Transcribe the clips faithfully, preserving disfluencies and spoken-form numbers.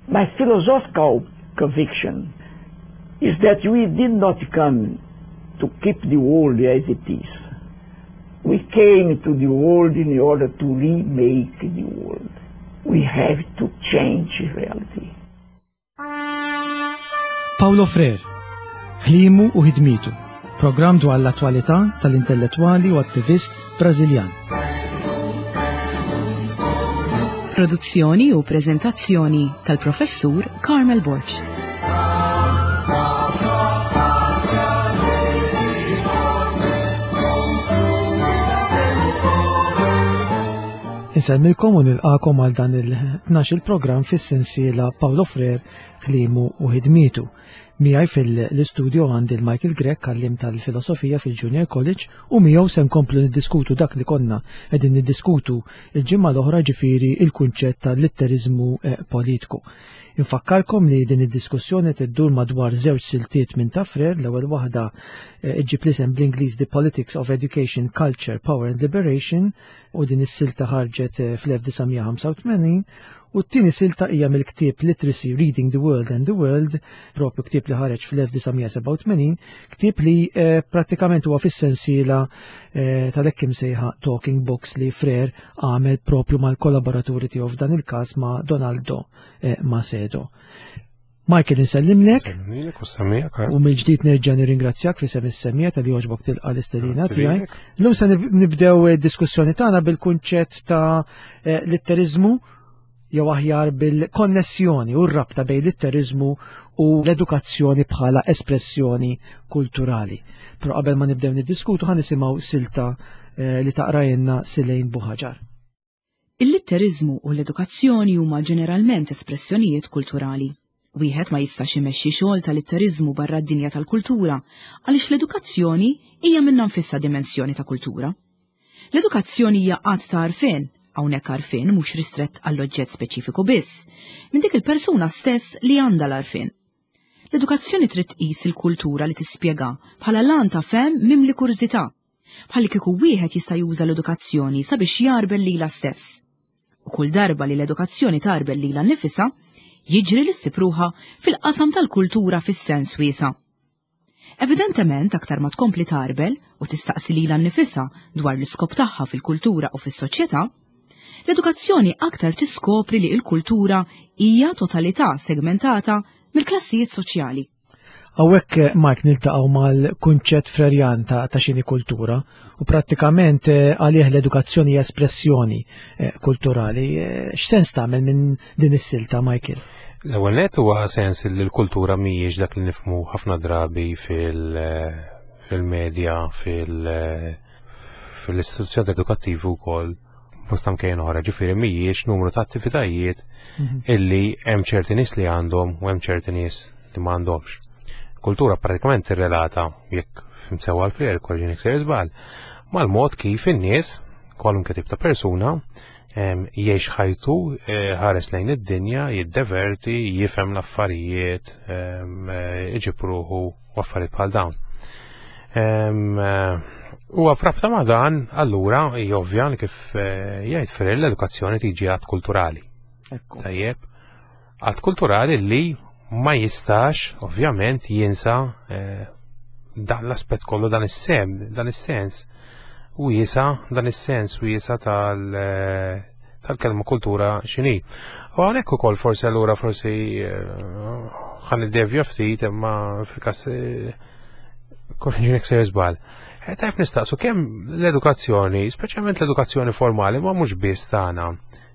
My philosophical conviction is that we did not come to keep the world as it is. We came to the world in order to remake the world. We have to change reality. Paulo Freire, ħlimu u ħidmitu, programm dwar l-attwalità tal-intellettwali u attivist Brażiljan. Produzzjoni u prezentazzjoni tal-professur Carmel Borg. Insellmilkom u nilqakom għal dan il-tnax il-programm fis-sensiela Paulo Freire, ħlimu u ħidmietu. Miegħi fil-istudio għandi l-Michael Grech, għallim tal-filosofija fil-Junior College, u miegħu se nkomplu niddiskutu dak li konna qegħdin niddiskutu il-ġimgħa l-oħra, ġifieri il-kunċett tal-litteriżmu eh, politiku. Infakkarkom li din id-diskussjoni tiddur madwar żewġ siltiet minn ta' Freire. L-ewwel waħda eh, iġġib l-isem bl-Ingliż The Politics of Education, Culture, Power and Liberation, u din is-silta ħarġet eh, fl-elf disa' mija ħamsa u tmenin, u t-tieni silta hija mill-ktieb Literacy, Reading the World and the World, propju ktieb li ħareġ fl-elf disa' mija sebgħa u tmenin, ktieb li, eh, prattikament huwa fis-sensiela, eh, tal-hekk imsejħa Talking Books li Freire għamel propju mal-kollaboraturi tiegħu, f'dan il-każ ma' Donaldo, eh, Macedo. Michael, insellimlek. Insellimlek u semmijak, eh? U mill-ġdid nerġa' nirringrazzjak fi sem is-semmija tal-li għoġbok tilqa' l-istedina Grazzi tiegħi. lilek. Llum se nib-, nibdew id-diskussjoni tagħna bil-kunċett ta', eh, litteriżmu, jew aħjar bil-konnessjoni u r-rabta bejn litteriżmu u l-edukazzjoni bħala espressjoni kulturali. Però qabel ma nibdew niddiskutu ħa nisimgħu silta, eh, li taqrajna Silejn Buħaġar. Il-litteriżmu u l-edukazzjoni huma ġeneralment espressjonijiet kulturali. Wieħed ma jistax imexxi xogħol tal-litteriżmu barra d-dinja tal-kultura għaliex l-edukazzjoni hija minnha nfisha dimensjoni ta' kultura. L-edukazzjoni hija qatt ta' għarfien, hawnhekk għarfien mhux ristrett għall-oġġett speċifiku biss, minn dik il-persuna stess li għandha l-għarfien. L-edukazzjoni trid tqis il-kultura li tispjega bħala lan ta' fem mimli kurżità, bħalli kieku wieħed jista' juża l-edukazzjoni sabiex jarbel lilha stess. U kull darba li l-edukazzjoni tarbel lilha nnifisha, jiġri li ssib ruħha fil-qasam tal-kultura fis-sens wiesa'. Evidentement, aktar ma tkompli tarbel u tistaqsi lilha nnifisha dwar l-iskop tagħha fil-kultura u fis-soċjetà, l-edukazzjoni aktar tiskopri li l-kultura hija totalità segmentata mill-klassijiet soċjali. Hawnhekk, Mike, niltaqgħu mal-kunċett Frerjan ta', ta' xini kultura u prattikament, eh, għalih l-edukazzjoni hija espressjoni, eh, kulturali. Eh, x'sens tagħmel minn din is-silta, Michael? L-ewwel nett huwa sens li l-kultura mhijiex dak li nifhmu ħafna drabi fil-, fil-medja, fil-, fil-istituzzjoni edukattivi wkoll bosta mkejjen oħra, ġifieri mhijiex numru ta' attivitajiet Mhm. illi hemm ċerti nies li għandhom u hemm ċerti nies li m'għandhomx. Kultura pratikament tirrelata, jekk fhimt sewwa l-Freire, korriġini jekk sejjer żball, mal-mod kif in-nies, kwalunkwe tip ta' persuna, em, jgħix ħajtu, eh, ħares lejn id-dinja, jiddeverti, jifhem l-affarijiet, em, eh, iġib ruħu u affarijiet bħal dawn. Em, eh, U frabta ma' dan, allura, hija ovvja li kif, eh, jgħid Freire, l-edukazzjoni tiġi għad kulturali. Ekku. Tajjeb, għad kulturali li ma jistax, ovvjament, jinsa, eh, dan l-aspett kollu, dan is-sem, dan is-sens, u jisa, dan is-sens u jisa tal-, eh, tal-kelma kultura x'inhi. U hawnhekk ukoll forsi allura forsi, eh, ħa niddevja ftit, imma fil-każ, eh, korriġini jekk sejjer żball. Eh, tajb nistaqsu kemm l-edukazzjoni, speċjalment l-edukazzjoni formali, ma mhux biss tagħna,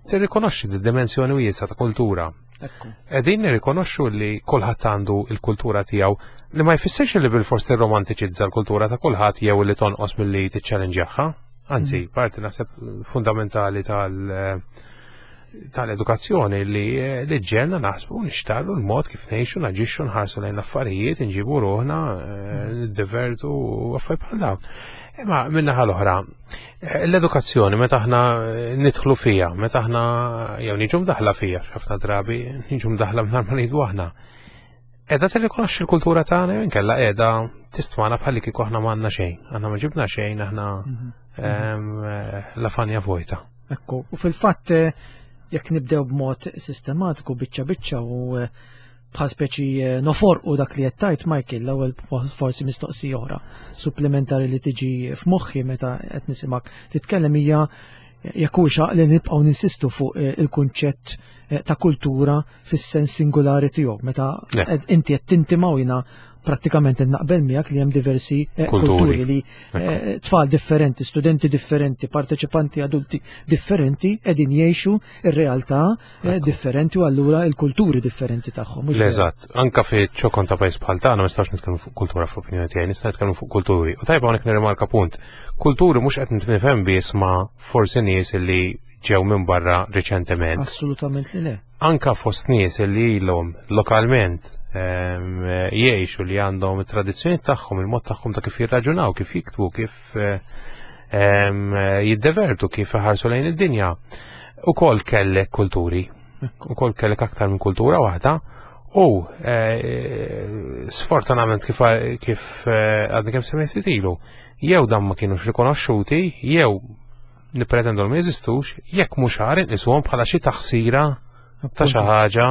tirrikonoxxi d-dimensjoni wiesgħa ta' kultura. Ekku. Qegħdin nirrikonoxxu li kulħadd għandu l-kultura tiegħu, li ma jfissirx li bilfors tirromantiċizza l-kultura ta' kulħadd jew li tonqos milli tiċċellenġjaha. Anzi, Mm. parti naħseb fundamentali tal-, tal-edukazzjoni li, li ġenna naħsbu nixtarru l-mod kif ngħixu, naġixxu, nħarsu lejn l-affarijiet, inġibu ruħna, eh, niddevertu u affarijiet bħal dawn. Imma min-naħa l-oħra, eh, l-edukazzjoni meta aħna, eh, nidħlu fija, meta aħna jew niġu mdaħla fija, ħafna drabi niġu mdaħla mingħajr ma ngħidu aħna. Qiegħda tirrikonoxxi l-kultura tagħna jew inkella qiegħda tistwana bħalli kieku aħna m'għandna xejn, aħna ma ġibna xejn, aħna, Mhm. ehm, eh, la fanja vojta. Ekku, u fil-fatt, eh, Jekk nibdew b'mod sistematiku biċċa biċċa u eh, bħal speċi eh, noforqu dak li qed tgħid Michael, l-ewwel forsi mistoqsija oħra supplementari li tiġi f'moħħi meta qed nisimgħek titkellem hija jekk hux li nibqgħu ninsistu fuq eh, il-kunċett eh, ta' kultura fis-sens singolari tiegħu meta Le. qed- inti qed tintimaw jiena prattikament naqbel miegħek li hemm diversi eh, Kulturi. kulturi li eh, tfal differenti, studenti differenti, parteċipanti adulti differenti qegħdin jgħixu ir-realtà eh, differenti u allura il-kulturi differenti tagħhom. Mhux vera? Eżatt, anka fi ċokon ta' pajjiż bħal tagħna ma nistgħux nitkellmu fuq kultura fl-opinjoni tiegħi, nista' nitkellmu fuq kulturi. U tajba hawnhekk nirrimarka punt. Kulturi mhux qed nifhem biss ma' forsi nies li ġew minn barra riċentement. Assolutament li le. Anka fost nies li ilhom lokalment ehm, jgħixu li għandhom it-tradizzjoni tagħhom, il-mod tagħhom ta' kif jirraġunaw, kif jiktbu, kif eh, ehm, jiddevertu, kif iħarsu lejn id-dinja. Ukoll kellek kulturi, ukoll kellek aktar minn kultura waħda u eh, sfortunatament kif kif eh, għadni kemm semmejt ilu, jew dan ma kienux rikonoxxuti, jew nippretendu li ma jeżistux, jekk mhux ħar inqisuhom bħala xi taħsira ta' xi ħaġa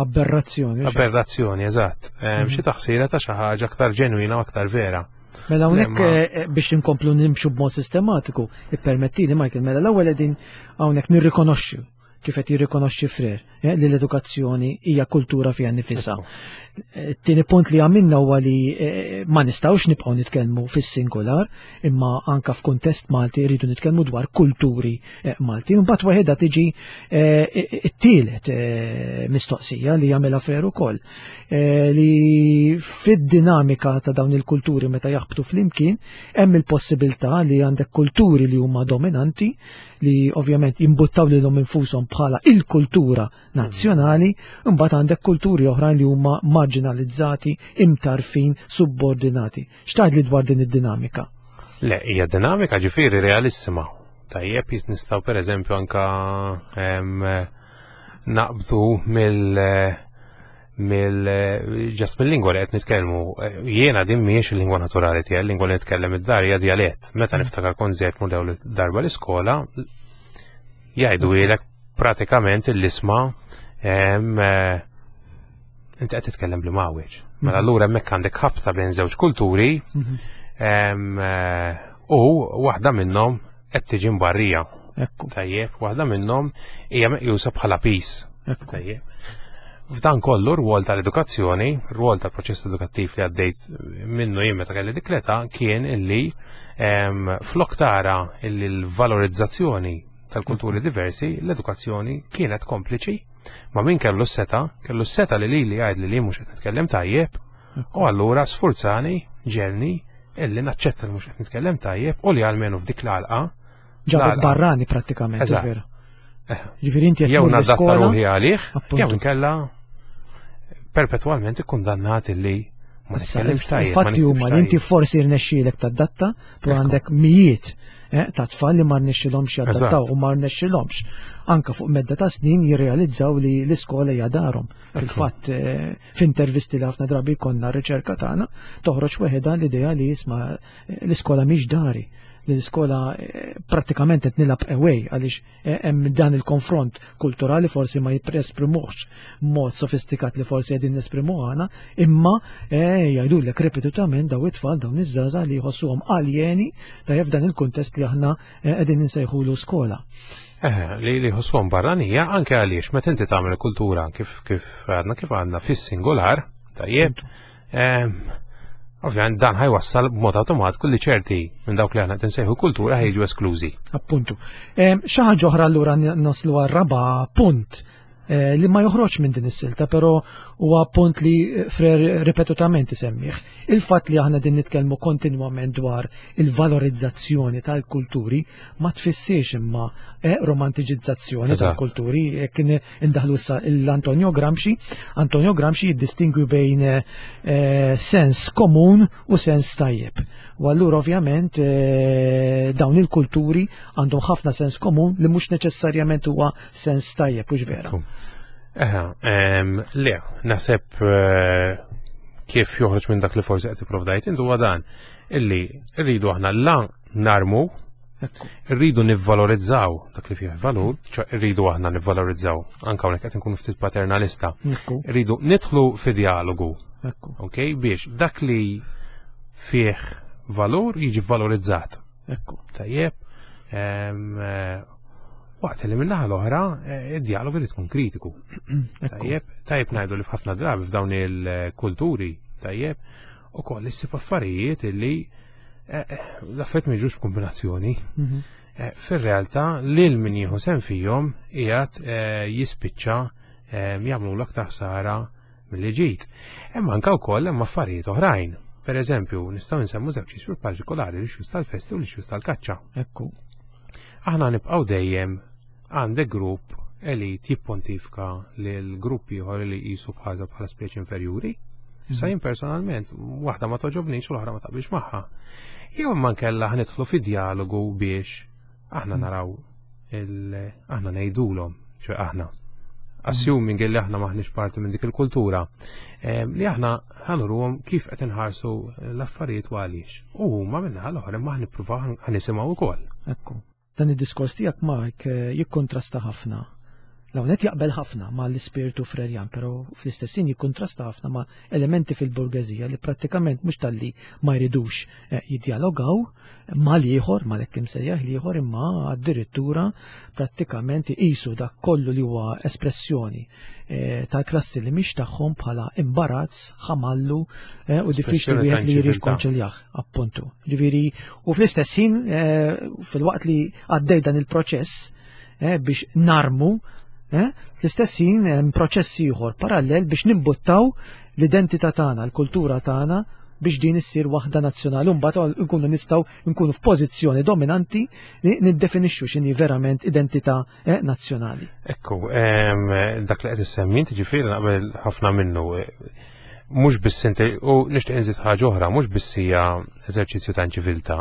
Aberrazzjoni. mhux hekk? aberrazzjoni, eżatt. Em, Xi taħsira ta' xi ħaġa aktar ġenwina u aktar vera. Mela hawnhekk Le, ma- eh, biex inkomplu nimxu b'mod sistematiku, ippermettili Michael, mela l-ewwel qegħdin hawnhekk nirrikonoxxu kif qed jirrikonoxxi Freire eh, li l-edukazzjoni hija kultura fiha nifisha. Eh, Tieni punt li għamilna huwa li eh, ma nistgħux nibqgħu nitkellmu fis-singular, imma anka f'kuntest Malti rridu nitkellmu dwar kulturi eh, Malti. Imbagħad waħedha tiġi eh, it-tielet eh, mistoqsija li jagħmilha Freire ukoll eh, li fid-dinamika ta' dawn il-kulturi meta jaħbtu flimkien hemm il-possibilità li għandek kulturi li huma dominanti li ovvjament jimbuttaw lilhom infushom bħala il-kultura nazzjonali, imbagħad għandek kulturi oħrajn li huma marginalizzati, imtarfin, subordinati. X'tgħid li dwar din id-dinamika? Le, hija dinamika ġifieri realissima. Tajjeb, jis nistgħu pereżempju anka em, naqbdu mill mill ġast mill-lingwa li qed nitkellmu. Jiena din mhijiex il-lingwa naturali tiegħi, il-lingwa li nitkellem id-dar hija djalett. Meta niftakar kont żejt mur l darba l-iskola, jgħidu ilek pratikament l-isma em, eh, inti qed titkellem bl-mawieġ. Mela allura hemmhekk għandek ħabta bejn żewġ kulturi em, eh, u waħda minnhom qed tiġi mbarrija. Ekku, Tajjeb, waħda minnhom hija meqjusa bħala pis. ekku. Tajjeb. F'dan kollu r-rwol tal-edukazzjoni, r-rwol tal-proċess edukattiv li għaddejt minnu jien meta kelli dik l-età kien illi em, flok tara illi l-valorizzazzjoni tal-kulturi diversi, l-edukazzjoni kienet kompliċi ma' min kellu s-seta, kellu s-seta li li li għajd li li mhux qed nitkellem tajjeb, u allura sfurzani, ġelni, illi naċċetta li mhux qed nitkellem tajjeb u li għalmenu f'dik l-għalqa Ġabek l-għalqa. barrani prattikament, Eżatt. vera. Eh. Ġifieri inti qed jew tmur nadatta l-iskola, ruħi għalih, Appuntu. jew inkella perpetwalment ikkundannat illi ma Issa, nitkellimx tajjeb. ma Il-fatti huma li inti nitkellmx tajjeb. forsi rnexxielek tadatta, però Ekku. għandek mijiet eh, ta' tfal li ma rnexxilhomx jadattaw Eżatt. u ma rnexxilhomx. Anka fuq medda ta' snin jirrealizzaw li l-iskola hija darhom. Fil-fatt eh, f'intervisti li ħafna drabi konna r-riċerka tagħna toħroġ weħeda l-idea li jisma' eh, l-iskola mhix dari li l-iskola eh, prattikament qed nilgħab away għaliex eh, hemm dan il-konfront kulturali forsi ma jesprimuhx mod sofistikat li forsi qegħdin nesprimuh aħna, imma eh, jgħidulek ripetutament daw it-tfal dawn iż-żgħażagħ li jħossuhom aljeni ta' f'dan il-kuntest li aħna eh, qegħdin insejħulu skola. Eh, li li ħossuhom barranija anke għaliex meta inti tagħmel kultura kif kif għadna kif għadna fis-singolar, tajjeb, em, ovvjament dan ħajwassal b'mod awtomatiku li ċerti minn dawk li aħna qed insejħu kultura ħejġu esklużi. Appuntu. Em, Xi ħaġa oħra allura n- naslu għar-raba punt eh, li ma joħroġ minn din is-silta, però huwa punt li eh, Freire ripetutament isemmih. Il-fatt li aħna din nitkellmu kontinwament dwar il-valorizzazzjoni tal-kulturi ma tfissirx imma eh, romantiċizzazzjoni Eżatt. tal-kulturi. Jekk in- indaħlu issa l-Antonio Gramsci, Antonio Gramsci jiddistingwi bejn eh, eh, sens komun u sens tajjeb. U allura ovvjament eh, dawn il-kulturi għandhom ħafna sens komun li mhux neċessarjament huwa sens tajjeb, hux vera. Eħe, em, le, naħseb eh, kif joħroġ minn dak li forsi qed ipprovdajt intu huwa dan illi rridu aħna la narmu Irridu nivvalorizzaw dak li fih valur, ċa irridu aħna nivvalorizzaw, anke hawnhekk qed inkunu ftit paternalista. Irridu nidħlu fi dialogu. Ok, biex dak li fih valur jiġi valorizzat. Ekku. Tajjeb. Waqt li min-naħa l-oħra, id-dialogu li tkun kritiku. Tajjeb, tajjeb ngħidu li f'ħafna drabi f'dawn il-kulturi, tajjeb, ukoll issib affarijiet illi l-affarijiet ma jiġux b'kombinazzjoni. Fir-realtà lil min jieħu sehem fihom qiegħed jispiċċa jagħmlu l-aktar ħsara milli ġid. Imma anke wkoll hemm affarijiet oħrajn. Per eżempju, nistgħu nsemmu żewġ issues partikolari, l-issues tal-festi u l-issues tal-kaċċa. Ekku. Aħna nibqgħu dejjem għandek grupp elit jippontifika lil grupp ieħor li jqisu bħala bħala speċi inferjuri. Issa jien personalment, waħda ma toġobnix u l-oħra ma taqbilx magħha. Jew imma nkella ħnidħlu fi dialogu biex aħna naraw il aħna ngħidulhom, ċe aħna. Assuming li aħna maħniex parti minn dik il-kultura, li aħna ħanuruhom kif qed inħarsu l-affarijiet u għaliex. U huma minnaħa l-oħra ma ħnippruvaw ħanisimgħu wkoll. Ekku. Dan id-diskors tiegħek, Mark, jikkontrasta ħafna. L-hawnhekk jaqbel ħafna ma' l-ispirtu Frerjan, però fl-istess ħin jikkontrasta ħafna ma' elementi fil-burgeżija li prattikament mhux talli ma jridux jiddialogaw mal-ieħor, mal-hekk imsejjaħ l-ieħor, imma addirittura prattikament iqisu dak kollu li huwa espressjoni tal-klassi li mhix tagħhom bħala imbarazz, ħamallu u diffiċli wieħed li jirrikonċiljah, appuntu. Ġifieri, u fl-istess ħin fil-waqt li għaddej dan il-proċess biex narmu, fl-istess ħin hemm proċess ieħor parallel biex nimbuttaw l-identità tagħna, l-kultura tagħna biex din issir waħda nazzjonali u mbagħad nkunu nistgħu nkunu f'pożizzjoni dominanti li niddefinixxu x'inhi verament identità nazzjonali. Ekku, dak li qed issemmi inti ġifieri naqbel ħafna minnu. Mhux biss inti, u nixtieq inżid ħaġa oħra, mhux biss hija eżerċizzju ta' inċiviltà,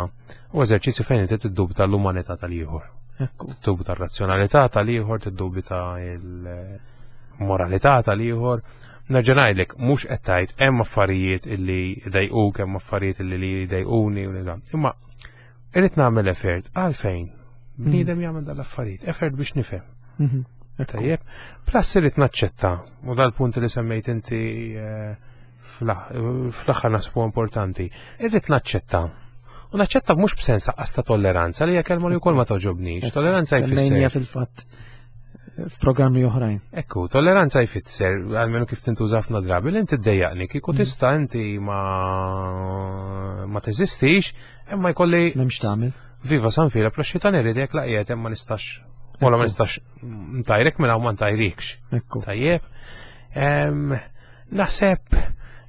u eżerċizzju fejn inti tiddubita l-umanità tal-ieħor. Tiddubita r-razzjonalità tal-ieħor, tiddubita l-moralità tal-ieħor. Nerġa' ngħidlek, mhux qed tgħid hemm affarijiet illi jdejquk, hemm affarijiet illi li jdejquni u dan. Imma irrid nagħmel effort għalfejn bniedem jagħmel dan l-affarijiet, effort biex nifhem. Tajjeb, plus irrid naċċetta, u dal-punt li semmejt inti fl-aħħar naħsbu importanti, irrid naċċetta. U naċċetta mhux b'sens aqqas ta' tolleranza, li hija kelma li wkoll ma toġobnix. Tolleranza jfisser. Semmejnija fil-fatt f'programmi oħrajn. Ekku, tolleranza jfisser, għalmenu kif tintuża ħafna drabi, li inti ddejjaqni, kieku tista' inti ma ma teżistix, imma jkolli. M'hemmx tagħmel. Viva San Filep, la xitan iridek la qiegħed hemm ma nistax. Wala ma nistax ntajrek minn hawn ma ntajrikx. Ekku. Tajjeb. Naħseb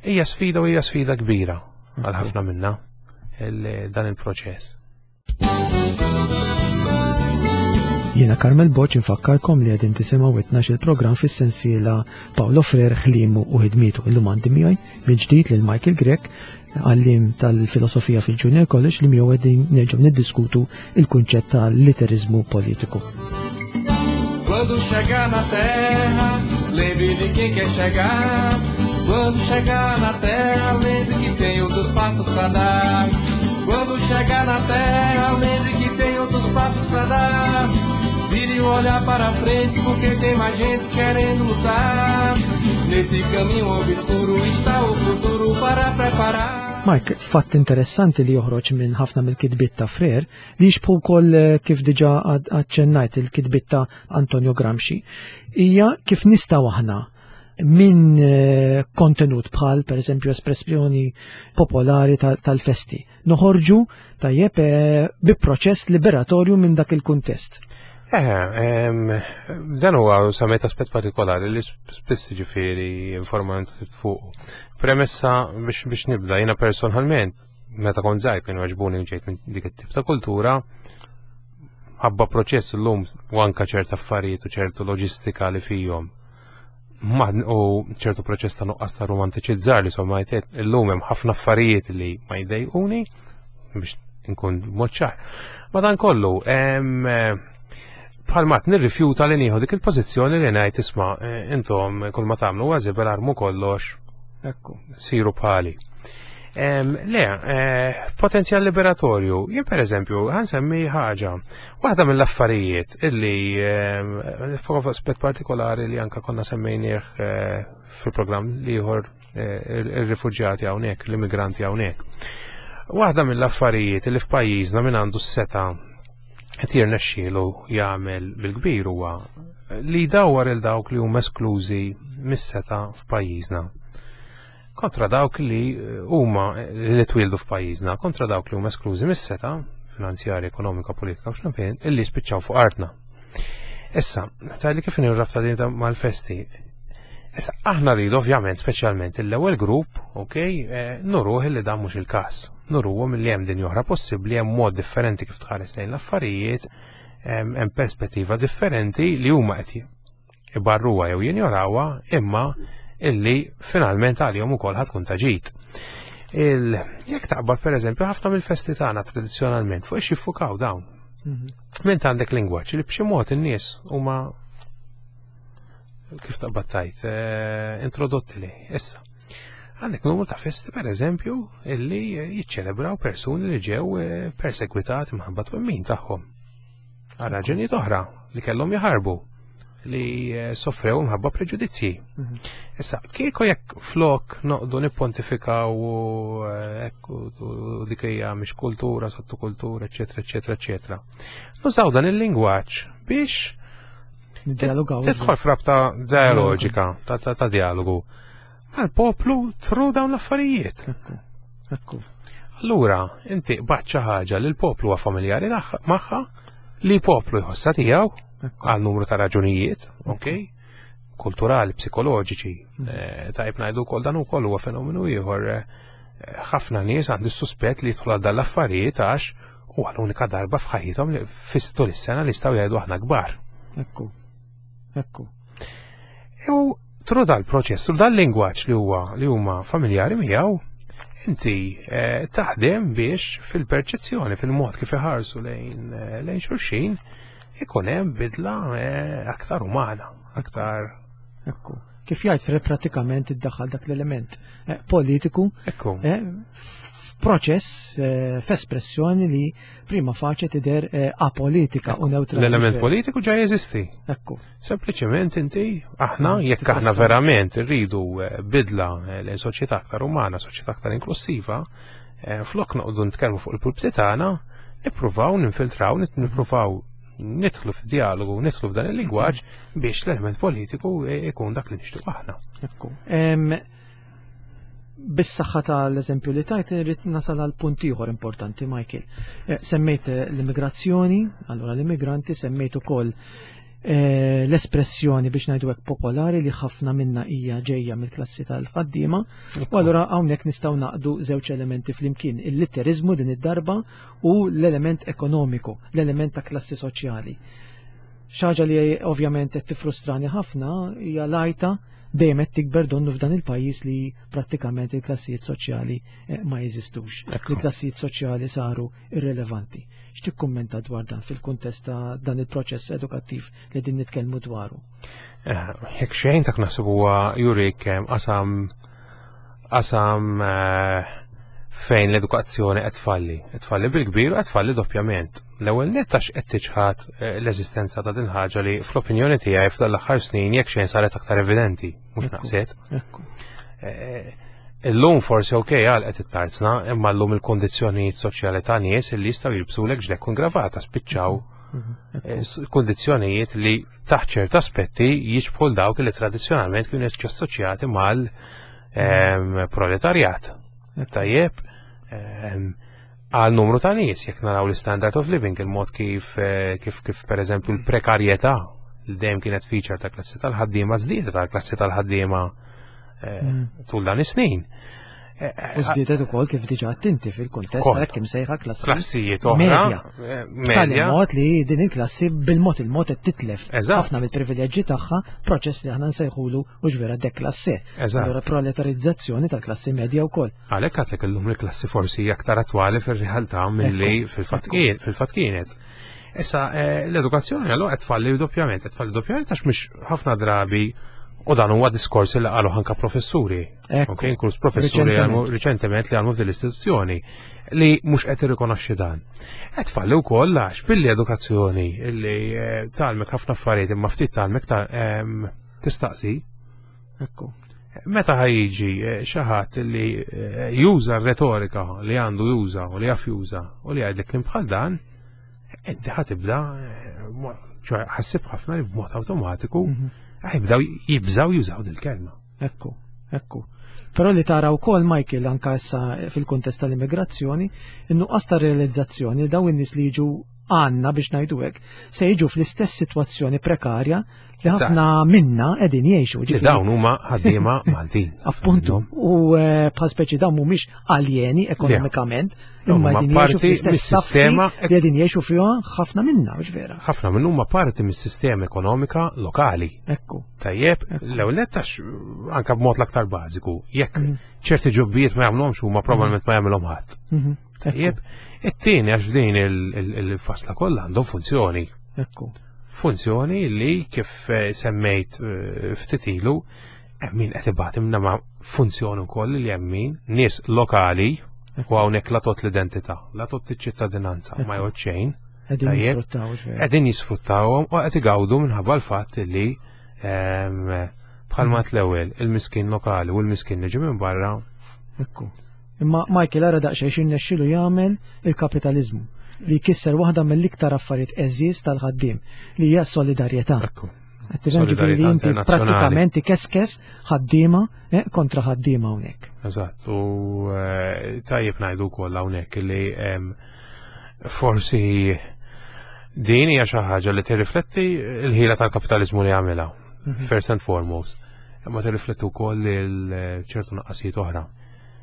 hija sfida u hija sfida kbira għal ħafna minna dan il-proċess. Jiena Carmel Borg infakkarkom li qegħdin tisimgħu tnax il-programm fis-sensiela Paulo Freire ħliemu u ħidmietu. Illum għandi miegħi mill-ġdid lil Michael Grech, għalliem tal-filosofija fil-Junior College, li miegħu qegħdin nerġgħu niddiskutu il-kunċett tal-literizmu politiku. Quando chegar na terra, lembre de quem quer chegar. Quando chegar na terra, lembre que tem outros passos pra dar. Quando chegar na terra, lembre que tem outros passos pra dar. Vire o olhar para frente, porque tem mais gente querendo lutar. Nesse caminho obscuro está o futuro para preparar. Mike, fatt interessanti li joħroġ minn ħafna mill-kitbiet ta' Freire li jixbħu wkoll kif diġà aċċennajt il-kitbiet ta' Antonio Gramsci, hija kif nistgħu aħna minn kontenut bħal per eżempju espressjoni popolari tal-festi noħorġu tajjeb bi proċess liberatorju minn dak il-kuntest. Eh, dan huwa semmejt aspett partikolari li spiss ġifieri informant fuq. Premessa biex biex nibda, jiena personalment, meta kont żgħir kien għaġbuni ġejt minn dik it-tip ta' kultura, ħabba proċess illum u anka ċerta affarijiet u ċertu loġistika li fihom. U ċertu proċess ta' nuqqas ta' romantiċizzar li somma jtet illum hemm ħafna affarijiet li ma jdejquni biex inkun mod ċar. Madankollu, bħalma nirrifjuta li nieħu dik il-pożizzjoni li ngħid isma' intom kull ma tagħmlu huwa żibel armu kollox. Ekku. Siru bħali. Le, eh, potenzjal liberatorju. Jien per eżempju, ħa nsemmi ħaġa. Waħda mill-affarijiet illi fuq aspett partikolari li anka konna semmejnieh eh, fil-programm l-ieħor eh, ir-rifuġjati hawnhekk, l-immigranti hawnhekk. Waħda mill-affarijiet li f'pajjiżna min għandu s-setgħa qed jirnexxielu jagħmel bil-kbir huwa li jdawwar il dawk li huma esklużi mis-setgħa f'pajjiżna kontra dawk li eh, huma eh, li twildu f'pajjiżna, kontra dawk li huma esklużi mis-setgħa finanzjarja, ekonomika, politika u x'naf jien, illi spiċċaw fuq artna. Issa, tgħidli kif rabta din mal-festi. Issa, aħna rridu ovvjament, speċjalment l-ewwel grupp, ok, eh, nuruh li dan mhux il-każ. Nuruhom li hemm din oħra possibbli, hemm mod differenti kif tħares lejn l-affarijiet, hemm perspettiva differenti li huma qed ibarruha jew jinjorawha, imma illi finalment għalihom ukoll ħa tkun ta' ġid. Jekk taqbad per eżempju ħafna mill-festi tagħna tradizzjonalment fuq jiffukaw dawn. Mhm. Ment għandek lingwaġġ li b'xi mod in-nies huma kif taqbad tajt, eh, introdotti li. Issa, għandek numru ta' festi per eżempju illi jiċċelebraw persuni li ġew eh, persegwitati minħabba twemmin tagħhom. Għal raġunijiet oħra li kellhom jaħarbu li eh, soffrew mħabba preġudizzji. Mhm. Issa, kieku jekk flok noqogħdu nippontifikaw u eh, u dik hija mhix kultura, sottokultura, eċetera, eċetera, eċetera. Nużaw dan il-lingwaġġ biex tidħol frabta dialoġika, ta' dialogu mal-poplu through dawn l-affarijiet. Ekku. Allura, inti baċċa ħaġa li l-poplu huwa familjari magħha, li poplu jħossha tiegħu għal numru ta' raġunijiet, ok? Kulturali, psikoloġiċi. Mm. Eh, tajb ngħidu wkoll dan ukoll huwa fenomenu ieħor. Eh, ħafna nies għandi suspett li jidħlu għal dal-affarijiet għax huwa l-unika darba f'ħajjithom li tul is-sena li jistgħu jgħidu aħna kbar. Ekku. Ekku. U through dal-proċess, through dal-lingwaġġ li huwa li huma familjari miegħu, inti eh, taħdem biex fil-perċezzjoni, fil-mod kif iħarsu lejn lejn xulxin, ikun hemm bidla eh, aktar umana, aktar. Ekku. Kif jgħid Fred pratikament iddaħħal dak l-element eh, politiku Ekku. Eh, f'proċess f'espressjoni li prima facie tidher apolitika u neutrali. L-element politiku ġa jeżisti. Ekku. Sempliċement inti aħna mm, jekk aħna verament irridu bidla lejn soċjetà aktar umana, soċjetà aktar inklusiva, flok noqogħdu nitkellmu fuq il-pulpti tagħna, nippruvaw ninfiltraw, nippruvaw nidħlu f'dialogu, nidħlu f'dan il-lingwaġġ biex l-element politiku ikun dak li nixtieq aħna. Ekku. Bis-saħħa tal-eżempju li tajt irrid nasal għal punt ieħor importanti, Michael. Eh, semmejt eh, l-immigrazzjoni, allura l-immigranti, semmejt ukoll eh, l-espressjoni biex ngħidu hekk popolari li ħafna minna hija ġejja mill-klassi tal-ħaddiema. U allura hawnhekk nistgħu naqdu żewġ elementi flimkien, il-litterizmu din id-darba u l-element ekonomiku, l-element ta' klassi soċjali. Xi ħaġa li ovvjament qed tifrustrani ħafna hija l-għajta dejjem qed tikber donnu f'dan il-pajjiż li prattikament il-klassijiet soċjali eh, ma jeżistux. Il-klassijiet soċjali saru irrelevanti. X'tikkummenta dwar dan fil-kuntest ta' dan il-proċess edukattiv li din nitkellmu dwaru? Eh, jekk xejn tak naħseb huwa jurik qasam qasam eh, fejn l-edukazzjoni qed tfalli. Qed tfalli bil-kbir u qed tfalli doppjament. L-ewwel nett għax qed tiċħad eh, l-eżistenza ta' din ħaġa li fl-opinjoni tiegħi f'dan l-aħħar snin jekk xejn saret aktar evidenti, mhux naqset. Illum forsi ok għalqet it-tarzna, imma llum il-kondizzjonijiet soċjali ta' nies li jistgħu jilbsulek ġlekk u gravata spiċċaw mhm, eh, kondizzjonijiet li taħt ċert aspetti jiġbħu dawk li tradizzjonalment kienu assoċjati mal ehm, proletarjat. Tajjeb, ehm, għal numru ta' nies, jekk naraw l-standard of living, il-mod kif eh, kif kif per eżempju l-prekarjetà li dejjem kienet feature ta' klassi tal-ħaddiema żdiedet tal-klassi tal-ħaddiema eh, mm. tul dan is-snin. Eh, U żdiedet ukoll kif diġà tinti fil-kuntest ta' kemm sejħa klassi klassijiet oħra. Medja. Mod li din il-klassi bil-mod il-mod qed titlef ħafna mill-privileġġi tagħha proċess li aħna nsejħulu u ġvera deklasse. Allura proletarizzazzjoni tal-klassi medja wkoll. Għalhekk għadlek illum il-klassi forsi aktar attwali fir-realtà milli fil-fatt kienet. Issa eh, l-edukazzjoni allura qed tfalli doppjament, qed tfalli doppjament għax mhux ħafna drabi U dan huwa diskors li qalu anka professuri. Ekku. Ok, inkluż professuri Riċentement. għalmu riċentement li għalmu f'din l-istituzzjoni li mhux qed irrikonoxxi dan. Qed tfalli wkoll għax billi edukazzjoni li eh, tgħallmek ħafna affarijiet imma ftit tgħallmek ta' em, tistaqsi. Ekku. Meta ħa jiġi eh, xi ħadd li eh, juża r-retorika li għandu juża u li jaf juża u li jgħidlek kliem bħal dan, inti ħa tibda eh, mo- ċoè ħassib ħafna li b'mod awtomatiku Mhm. ħa jibdew jibżaw jużaw dil-kelma. Ekku, ekku. Però li tara wkoll Michael anka issa fil-kuntest tal-immigrazzjoni, in-nuqqas ta' realizzazzjoni li dawn in-nies li jiġu għandna biex ngħidu hekk, se jiġu fl-istess sitwazzjoni prekarja li ħafna minna qegħdin jgħixu. Li Ġifieri, dawn huma ħaddiema Maltin. Appuntu, u eh, bħal speċi dawn mhumiex aljeni ekonomikament, Dawn imma huma qegħdin jgħixu parti fl-istess saffi mis-sistema li qegħdin jgħixu fiha ħafna minna, mhux vera. Ħafna minn huma parti mis-sistema ekonomika lokali. Ekku. Tajjeb, l-ewwel nett għax anka b'mod l-aktar bażiku, jekk Mhm. ċerti ġobbijiet ma jagħmluhomx huma probabbilment ma jagħmilhom ħadd. Mhm. Ekku, Tajjeb, it-tieni għax f'din il- il- il-fasla kollha għandhom funzjoni. ekku. Funzjoni li kif eh, semmejt eh, ftit ilu, hemm min qed ibati minna ma' funzjoni wkoll li hemm min nies lokali u hawnhekk la tot l-identità, la tot iċ-ċittadinanza, ma jgħod xejn. Qegħdin Tajjeb. jisfruttaw, mhux vera. Qegħdin jisfruttawhom u qed igawdu minħabba l-fatt li ehm, bħalma l-ewwel il-miskin lokali u l-miskin li ġie minn barra Ekku. Imma Michael ara daqsxejn x'irnexxielu jagħmel il-kapitaliżmu li jkisser waħda mill-iktar affarijiet għeżież tal-ħaddiem li hija s-solidarjetà. Ekku. Qed tifhem ġifieri li Solidarjetà inti internazzjonali. prattikament ikeskes ħaddiema eh, kontra ħaddiema hawnhekk. Eżatt, u eh, tajjeb ngħidu wkoll hawnhekk li em, forsi din hija xi ħaġa li tirrifletti l-ħila tal-kapitaliżmu li jagħmilha, first and foremost. Imma tirrifletti wkoll il ċertu nuqqasijiet oħra.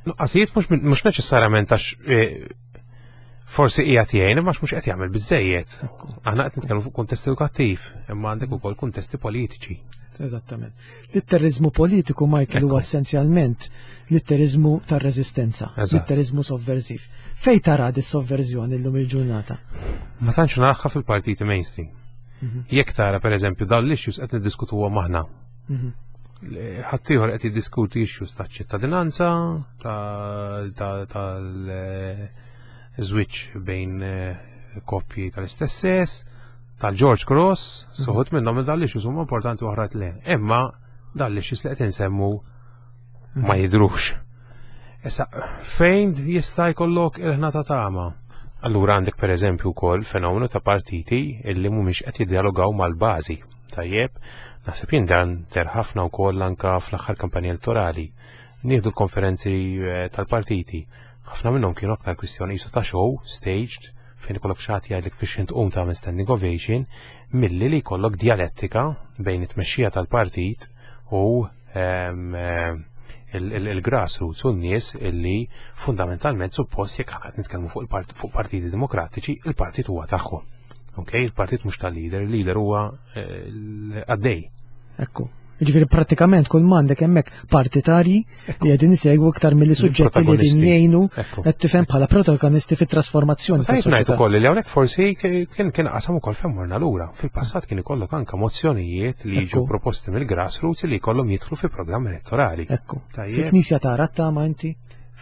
Nuqqasijiet mhux mhux neċessarjament għax eh, forsi hija jgħin imma mhux qed jagħmel biżejjed. Aħna qed nitkellmu fuq kuntest edukattiv, imma għandek ukoll kuntesti politiċi. Eżattament. Litterizmu politiku, Michael, huwa Ekku. essenzjalment litterizmu tar-reżistenza, Eżatt. litterizmu sovversiv. Fej tara di sovverżjoni llum il-ġurnata? Ma tantx naraha fil-partiti mainstream. Jekk tara pereżempju dawn l-issues qed niddiskutuhom aħna. Mhm. Ħaddieħor qed jiddiskuti issues ta' ċittadinanza, ta' ta' tal-żwieġ bejn eh, koppji tal-istess sess, tal-George Cross, uħud minnhom dawn l-issues huma importanti oħra le. Imma dawn l-issues li qed insemmu ma jidrux. Issa, fejn jista' jkollok il-ħna ta' tama? Allura għandek per eżempju wkoll fenomenu ta' partiti illi mhumiex qed jiddialogaw mal-bażi. Tajjeb, naħseb jien dan deher ħafna wkoll anka fl-aħħar kampanja elettorali. Nieħdu l-konferenzi eh, tal-partiti. Ħafna minnhom kienu aktar kwistjoni qisu ta' show, staged, fejn ikollok xi ħadd jgħidlek fiex int tqum tagħmel standing ovation, milli li jkollok dialettika bejn it-tmexxija tal-partit u ehm, eh, il- il- il-grassroots u n-nies illi fundamentalment suppost jekk aħna qed nitkellmu fuq il-part- fuq partiti demokratiċi, il-partit huwa tagħhom. Ok, il-partit mhux tal-leader, il-leader huwa eh, l-għaddej. Ekku. Ġifieri prattikament kull m'għandek hemmhekk partitarji li qegħdin isegwu iktar milli suġġetti li qegħdin Protagonisti. jgħinu Ekku. qed tifhem bħala protagonisti fit-trasformazzjoni Tajjeb ngħid tas-soċjetà. ukoll li hawnhekk forsi kien kien qasam ukoll fejn morna lura. Fil-passat kien ikollok anke mozzjonijiet li jiġu Ekku. proposti mill-grassroots li jkollhom jidħlu fi programm elettorali. Ekku. Tajjeb. Fil-Knisja tara t-tama inti?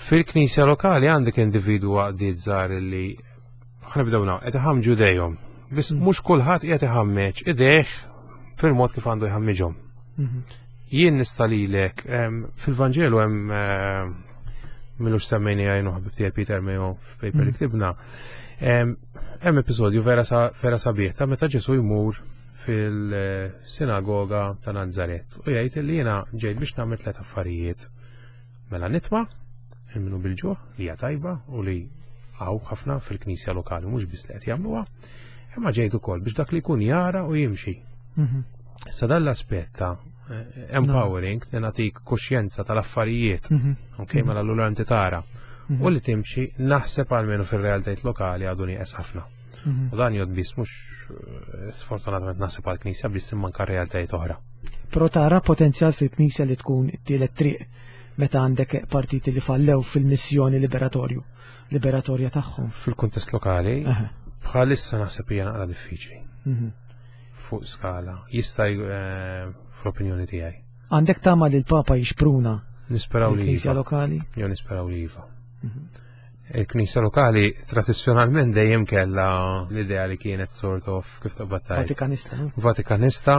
Fil-knisja lokali għandek individu għaqdiet żgħar li ħa nibdew naw, qed iħammġu idejhom. Biss mhux kulħadd qiegħed iħammeġ idejh fil-mod kif għandu jħammiġhom. Mhm. Jien nista' lilek em, fil-Vanġelu hemm em, m'ilux semmejni għajnu ħabib tiegħi Peter Mayo f'paper li ktibna. Em, Hemm episodju vera sa- vera sabiħ ta' meta Ġesu jmur fil-sinagoga ta' Nazaret u jgħid li jiena ġejt biex nagħmel tliet affarijiet. Mela nitma' il-minu bil-ġuħ li hija tajba u li hawn ħafna fil-knisja lokali mhux biss li qed jagħmluha, imma ġejt ukoll biex dak li jkun jara u jimxi. Mhm. Issa dan l-aspett ta' eh, empowering li nagħtik kuxjenza tal-affarijiet, Mhm. ok, mela allura inti tara. U li timxi naħseb almenu fil-realtajiet lokali għadu nieqes ħafna. Mhm. U dan jgħod biss mhux eh, sfortunatament naħseb għall-knisja biss imma anke realtajiet oħra. Però tara potenzjal fil-Knisja li tkun it-tielet triq meta għandek partiti li fallew fil-missjoni liberatorju, liberatorja tagħhom. Fil-kuntest lokali, Aha. bħalissa naħseb hija naqra diffiċli Mhm. fuq skala. Jista' j- eh, fl-opinjoni tiegħi. Għandek tama li l-Papa jixpruna Nisperaw li l-Knisja iva. lokali? Jo nisperaw li iva. Il-Knisja lokali tradizzjonalment dejjem kellha l-idea li kienet sort of kif taqbad tgħid. Vatikanista, no? Vatikanista,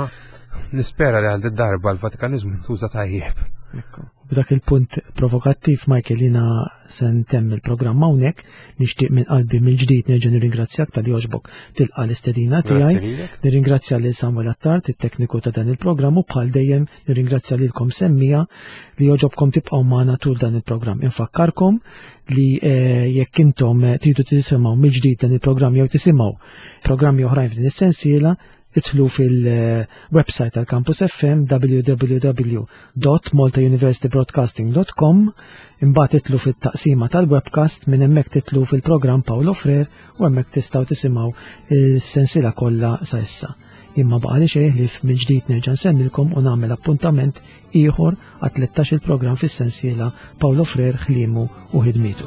nispera li għal darba l-Vatikanizmu ntuża tajjeb. Ekku. B'dak il-punt provokattiv, Michael, jiena se ntemm il-programm hawnhekk, nixtieq minn qalbi mill-ġdid nerġa' nirringrazzjak talli għoġbok tilqa' l-istedina Grazzi tiegħi. lilek. Nirringrazzja lil Samuel Attard, it-tekniku ta' dan il-programm, u bħal dejjem nirringrazzja lilkom semmiegħa li għoġobkom tibqgħu magħna tul dan il-programm. Infakkarkom li eh, jekk intom eh, tridu tisimgħu mill-ġdid dan il-programm jew tisimgħu programmi oħrajn f'din is-sensiela, idħlu fil-website tal-Campus F M w w w dot maltauniversitybroadcasting dot com, imbagħad idħlu fit-taqsima tal-webcast, minn hemmhekk tidħlu fil-programm Paolo Frere u hemmhekk tistgħu tisimgħu s-sensiela kollha sa issa. Imma baqa li xejn li mill-ġdid nerġa' nsemmilkom u nagħmel appuntament ieħor għat tlettax il-programm fis-sensiela Paolo Frere, ħliemu u ħidmietu.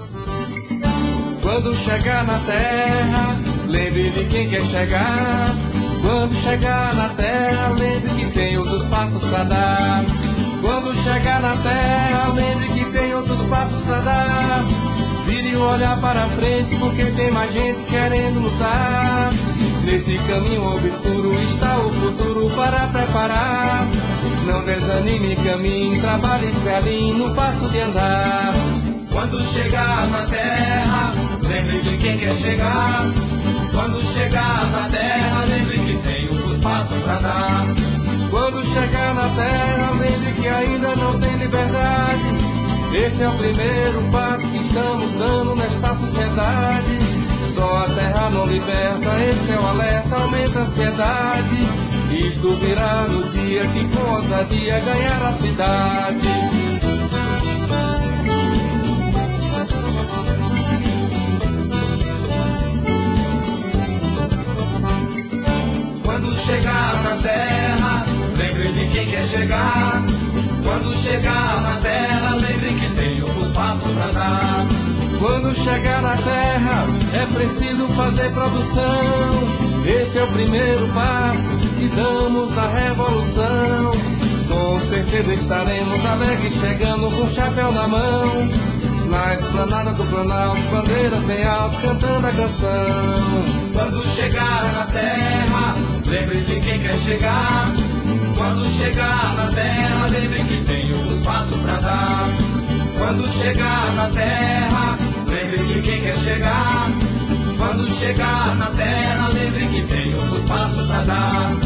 Quando chegar na terra, lembre de quem quer chegar. Quando chegar na terra, lembre que tem outros passos pra dar. Quando chegar na terra, lembre que tem outros passos pra dar. Vire o olhar para frente, porque tem mais gente querendo lutar. Nesse caminho obscuro está o futuro para preparar. Não desanime, caminhe, trabalhe, se alinhe no passo de andar. Quando chegar na terra, lembre de quem quer chegar. Quando chegar na terra, lembre que tem outros passos pra dar. Quando chegar na terra, lembre que ainda não tem liberdade. Esse é o primeiro passo que estamos dando nesta sociedade. Só a terra não liberta, esse é o alerta, aumenta a ansiedade. Isto virá no dia que com ousadia ganhar a cidade. Quando chegar na terra, lembre de quem quer chegar. Quando chegar na terra, lembre que tem outros passos pra dar. Quando chegar na terra, é preciso fazer produção. Este é o primeiro passo que damos na revolução. Com certeza estaremos alegres chegando com o chapéu na mão. Na esplanada do Planalto, bandeiras bem alto, cantando a canção. Quando chegar na terra, lembre de quem quer chegar. Quando chegar na terra, lembre que tem outros passos pra dar. Quando chegar na terra, lembre de quem quer chegar. Quando chegar na terra, lembre que tem outros passos pra dar.